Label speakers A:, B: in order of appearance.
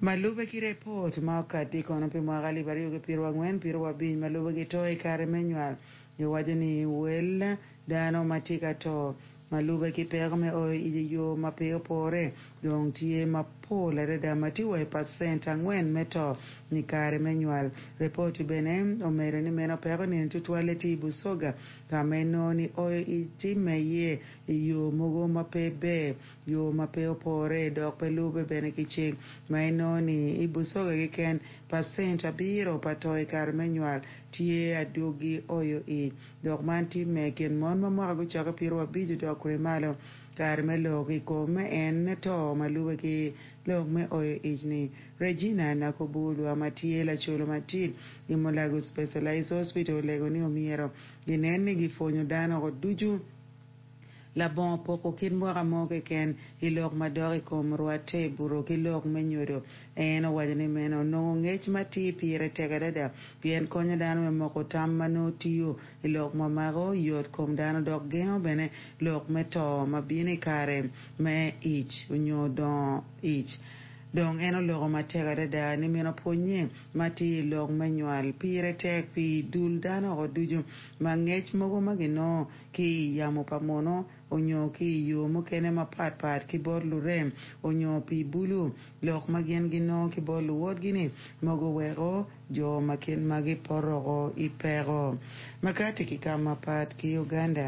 A: Ma lube ki repot ma okati kono pi mwaka 2024 piero abic ma lube ki to i kare me nywal, giwaco ni wel dano ma tye ka to ma lube ki peko me oyo ic i yo ma pe opore dong tye mapol adada ma tye wa i pacent 4 me to i kare me nywal. Repot bene omedo ni meno peko nini tutwalle tye i Busoga ka ma inongo ni oyo ic timme iye i yo mogo ma pe ber, yo ma pe opore dok pe lube bene ki cik ma inongo ni i Busoga keken pacent 7 pa to i kare me nywal tye adwogi oyo ic dok man timme i kin mon ma mwaka gucakke 50 dok kwede malo. Kare me lok i kom en to ma lube ki lok me oyo ic ni Regina Nakobulwa ma tye lacolo madit i Mulago Specialized Hospital olego ni omyero ginen ni gipwonyo dano ducu labongo poko kit mwaka mo keken i lok madok i kom rwatte i buto ki lok me nyodo. En owaco ni meno nongo ngec matir pire tek adada pien konyo dano me moko tam ma nongo tiyo i lok ma mako yot kom dano dok gengo bene lok me to ma bino i kare me ic onyo dongo ic. Dong en oloko matek adada ni meno pwonye ma tye i lok me nywal pire tek pi dul dano oko ducu ma ngec mogo ma ginongo ki i yamo pa muno onyo ki i yo mukene mapatpat ki bot lurem onyo pi bulu lok ma gin ginongo ki bot luwotgi-ni mogo weko jo ma kit magi poroko i peko. Makati ki ka mapat ki Uganda.